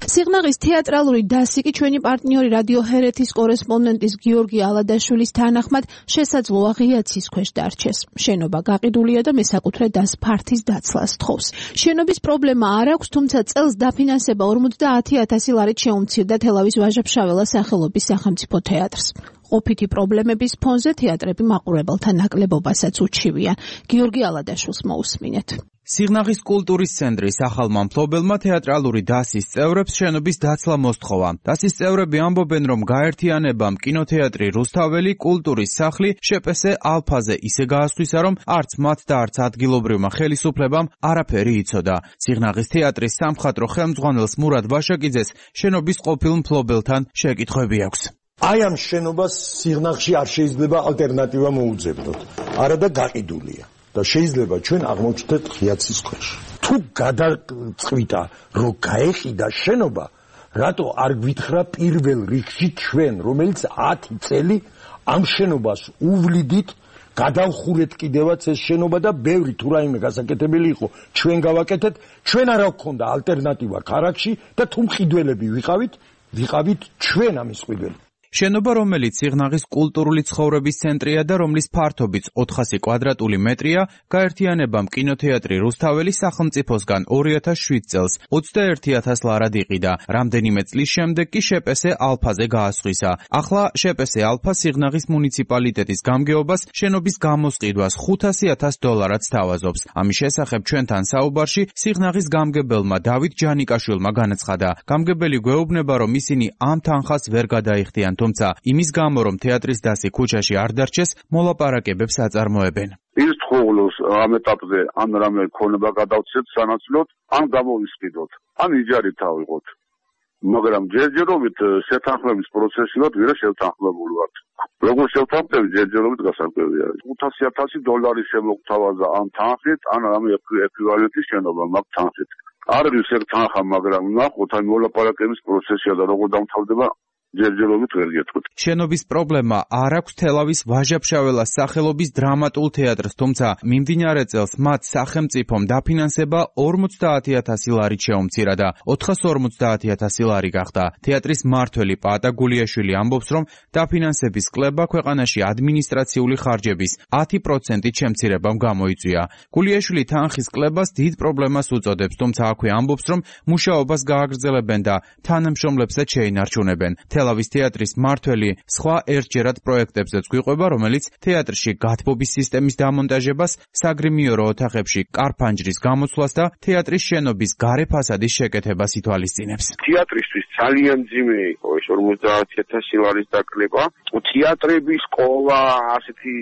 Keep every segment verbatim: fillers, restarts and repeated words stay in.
სიღნაღის თეატრალური დასი კი ჩვენი პარტნიორი რადიო ჰერეთის კორესპონდენტის გიორგი ალადაშვილის თანახმად შესაძლოა ღიაცის ქვეშ დარჩეს. შენობა გაყიდულია და მესაკუთრე დას ფართის დაცლას თხოვს. შენობის პრობლემა არ აქვს, თუმცა წელს დაფინანსება ორმოცდაათი ათასი ლარით შეუმცირდა თელავის ვაჟა-ფშაველას სახელობის სახელმწიფო თეატრს. ყოფითი პრობლემების ფონზე თეატრები მაყურებელთა ნაკლებობასაც უჩივიან. გიორგი ალადაშვილს მოусმინეთ. სიღნაღის კულტურის ცენტრის ახალმა მფლობელმა თეატრალური დასის წევრებს შენობის დაცლა მოსთხოვა. დასის წევრები ამბობენ, რომ გაერთიანებამ კინოთეატრი რუსთაველი, კულტურის სახლი, შპს ალფაზე ისე გაასხვისა, რომ არც მათ და არც ადგილობრივმა ხელისუფლებამ არაფერი იცოდა. სიღნაღის თეატრის სამხატვრო ხელმძღვანელს მურად ვაშაკიძეს შენობის ყოფილ მფლობელთან შეკითხვები აქვს. აი ამ შენობას სიღნაღში არ შეიძლება ალტერნატივა მოუძებნოთ. არა და გაყიდულია. და შეიძლება ჩვენ აღმოჩნდეთ ღიაცის ქვეშ. თუ გადაწყვიტა, რომ გაეყიდა შენობა, რატო არ გვითხრა პირველ რიგში ჩვენ, რომელიც ათი წელი ამ შენობას უვლიდით, გადავხურეთ კიდევაც ეს შენობა და ბევრი თუ რაიმე გასაკეთებელი იყო, ჩვენ გავაკეთეთ, ჩვენ არა გქონდა ალტერნატივა ქარაკში და თუ მყიდველები ვიყავით, ვიყავით ჩვენ ამის მყიდველები. შენობა, რომელიც სიღნაღის კულტურული ცხოვრების ცენტრია და რომლის ფართობიც ოთხასი კვადრატული მეტრია, გაერთიანებამ კინოთეატრი რუსთაველი სახელმწიფოსგან ორი ათას შვიდ წელს ოცდაერთი ათას ლარად იყიდა. რამდენიმე წლის შემდეგ კი შპს ალფაზე გაასხვისა. ახლა შპს ალფა სიღნაღის მუნიციპალიტეტის გამგეობას შენობის გამოსყიდვას ხუთასი ათას დოლარად სთავაზობს. ამის შესახებ ჩვენთან საუბარში სიღნაღის გამგებელმა დავით ჯანიკაშვილმა განაცხადა. გამგებელი გვეუბნება, რომ ისინი ამ თანხას ვერ გადაიხდიან, თუმცა იმის გამო, რომ თეატრის დასი ქუჩაში არ დარჩეს, მოლაპარაკებებს აწარმოებენ. ის თხოვლოს ამ ეტაპზე ან რამე ქონება გადავცეთ სანაცვლოდ, ან გამოვისყიდოთ, ან იჯარით ავიღოთ. მაგრამ ჯერჯერობით შეთანხმების პროცესი ვარ, ვერა შევთანხმებული ვარ. როგორ შევთანხმდები, ჯერჯერობით გასაკვირია. ხუთასი ათასი დოლარი შემოგთავაზა ამ თანხით, ან რამე ეკვივალენტის შენობა მაგ თანხით. არ არის ერთ თანხა, მაგრამ ნახოთ, აი მოლაპარაკების პროცესია და როგორ დამთავრდება ჯერჯერობით ვერ გეტყვით. შენობის პრობლემა არ აქვს თელავის ვაჟა-ფშაველას სახელობის დრამატულ თეატრს, თუმცა მიმდინარე წელს მათ სახელმწიფომ დაფინანსება ორმოცდაათი ათასი ლარით შეუმცირა და ოთხას ორმოცდაათი ათასი ლარი გახდა. თეატრის მმართველი პაატა გულიაშვილი ამბობს, რომ დაფინანსების კლება ქვეყანაში ადმინისტრაციული ხარჯების ათი პროცენტით შემცირებამ გამოიწვია. გულიაშვილი თანხის კლებას დიდ პრობლემას უწოდებს, თუმცა აქვე ამბობს, რომ მუშაობას გააგრძელებენ და თანამშრომლებსაც შეინარჩუნებენ. თელავის თეატრის მმართველი სხვა ერთჯერად პროექტებზეც გვიყვება, რომელიც თეატრში გათბობის სისტემის დამონტაჟებას, საგრიმიორო ოთახებში კარფანჯრის გამოცვლას და თეატრის შენობის გარე ფასადის შეკეთებას ითვალისწინებს. თეატრისთვის ძალიან მძიმე იყო ეს ორმოცდაათი ათასი ლარის დაკლება. თეატრები, სკოლა, ასეთი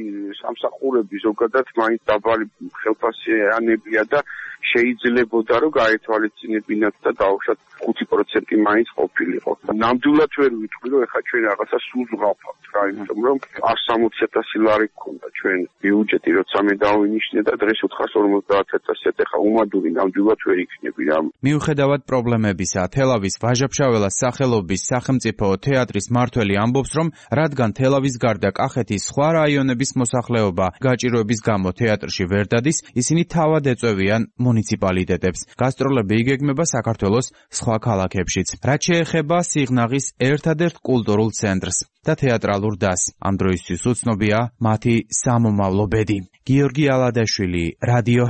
სამსახურები ზოგადად მაინც დაბალი ხელფასიანებია და შეიძლებოდა რომ გაეთვალისწინებინათ და დაუშვათ ხუთი პროცენტი მაინც ყოფილიყო. ნამდვილად ვერ ვიტყვი რომ ეხლა ჩვენ რაღაცა სულს ვღავთ რა, იმიტომ რომ არც სამოცი ათასი ლარი გქონდა ჩვენ ბიუჯეტი, როცა მე დავინიშნე და დღეს ოთხას ორმოცდაათი ათასი ეხლა უმადური ნამდვილად ვერ იქნები რა. მიუხედავად პრობლემებისა, თელავის ვაჟა-ფშაველას სახელობის სახელმწიფო თეატრის მმართველი ამბობს, რომ რადგან თელავის გარდა კახეთის სხვა რაიონების მოსახლეობა გაჭირვების გამო თეატრში ვერ დადის, ისინი თავად ეწევიან მუნიციპალიტეტებს. გასტროლები იგეგმება საქართველოს სხვა ქალაქებშიც. რაც შეეხება სიღნაღის ერთადერთ კულტურულ ცენტრს და თეატრალურ დასს, ამ დროისთვის უცნობია მათი სამომავლო ბედი. გიორგი ალადაშვილი, რადიო